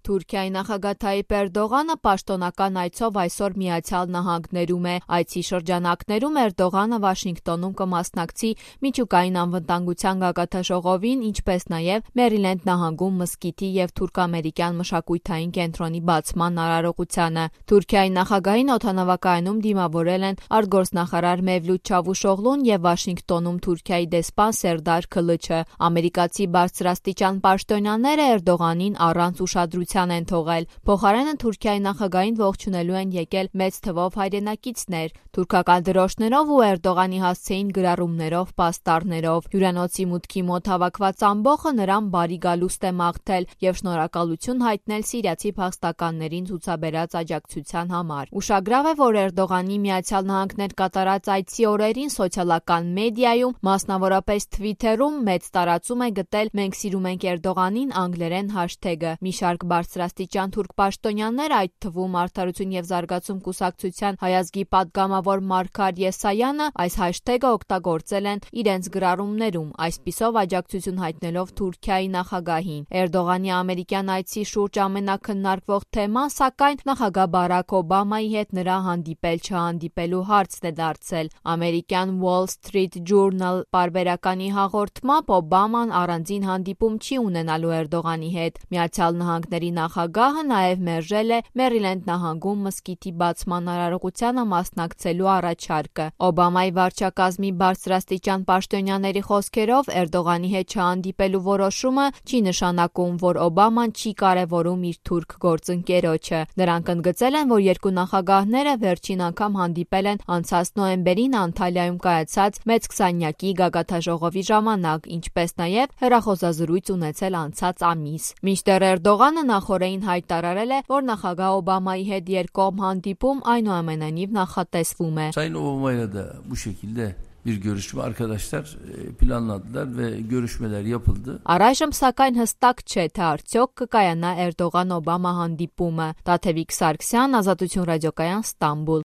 Թուրքիայի նախագահ Թայիպ Էրդողանը պաշտոնական այցով այսօր Միացյալ Նահանգներում է։ Այցի շրջանակներում Էրդողանը Վաշինգտոնում կմասնակցի միջուկային անվտանգության գագաթնաժողովին, ինչպես նաև Մերիլենդ նահանգում մզկիթի և թուրք-ամերիկյան մշակութային կենտրոնի բացման արարողությանը։ Թուրքիայի նախագահին օդանավակայանում դիմավորել են արտգործնախարար Մևլութ Չավուշօղլուն և Վաշինգտոնում Թուրքիայի դեսպան Սերդար Քլիչը։ Ամերիկացի բարձրաստիճան պաշտոնյաները Էրդողանին առանց ուշադրության են թողել։ Փոխարենը Թուրքիայի նախագահին ողջունելու են եկել մեծ թվով հայրենակիցներ։ Թուրքական դրոշներով ու Էրդողանի հասցեին գրառումներով, պաստառներով։ Հյուրանոցի մուտքի մոտ հավաքված ամբոխը նրան բարի գալուստ է մաղթել և շնորհակալություն հայտնել սիրիացի փախստականներին ցուցաբերած աջակցության համար։ Ուշագրավ է, որ Էրդողանի Միացյալ Նահանգներ կատարած այցի օրերին սոցիալական մեդիայում, մասնավորապես Թվիթերում, մեծ տարածում է գտել «Մենք սիրում ենք Էրդողանին» անգլերեն հաշթեգը։ Մի շարք բարձրաստիճան թուրք պաշտոնյաներ, այդ թվում Արդարություն և զարգացում կուսակցության հայազգի падգամավոր Մարգար Եսայանը, այս հաշթեգը օգտագործել են իրենց գրառումներում, այսպիսով աջակցություն հայտնելով Թուրքիայի նախագահին։ Էրդողանի ամերիկյան այցի շուրջ ամենաքննարկվող թեման, սակայն, նախագահ Բարաք Օբամայի հետ նրա հանդիպել-չհանդիպելու հարցն է դարձել։ Ամերիկյան Wall Street Journal պարբերականի հաղորդմամբ Օբաման առանձին հանդիպում չի ունենալու Էրդողանի հետ։ Միացյալ Նահանգների նախագահը նաև մերժել է Մերիլենդ նահանգում մզկիթի բացման արարողությանը մասնակցելու առաջարկը։ Օբամայի վարչակազմի բարձրաստիճան պաշտոնյաների խոսքերով Էրդողանի հետ չհանդիպելու որոշումը չի նշանակում, որ Օբաման չի կարևորում իր թուրք գործընկերոջը։ Նրանք ընդգծել են, որ երկու նախագահները վերջին անգամ հանդիպել են անցած նոյեմբերին Անտալիայում կայացած մեծ քսանյակի գագաթնաժողովի ժամանակ, ինչպես նաև հեռախոսազրույց ունեցել անցած ամիս։ Մինչդեռ Էրդողանը նախօրեին հայտարարել է, որ նախագահ Օբամայի հետ երկկողմ հանդիպում այնուամենայնիվ նախատեսվում է։ Sayın Obama'yla da bu şekilde bir görüşme arkadaşlar planladılar ve görüşmeler yapıldı. Առայժմ սակայն հստակ չէ, թե արդյոք կկայանա Էրդողան-Օբամա հանդիպումը։ Տաթևիկ Սարգսյան, Ազատություն ռադիոկայան, Ստամբուլ։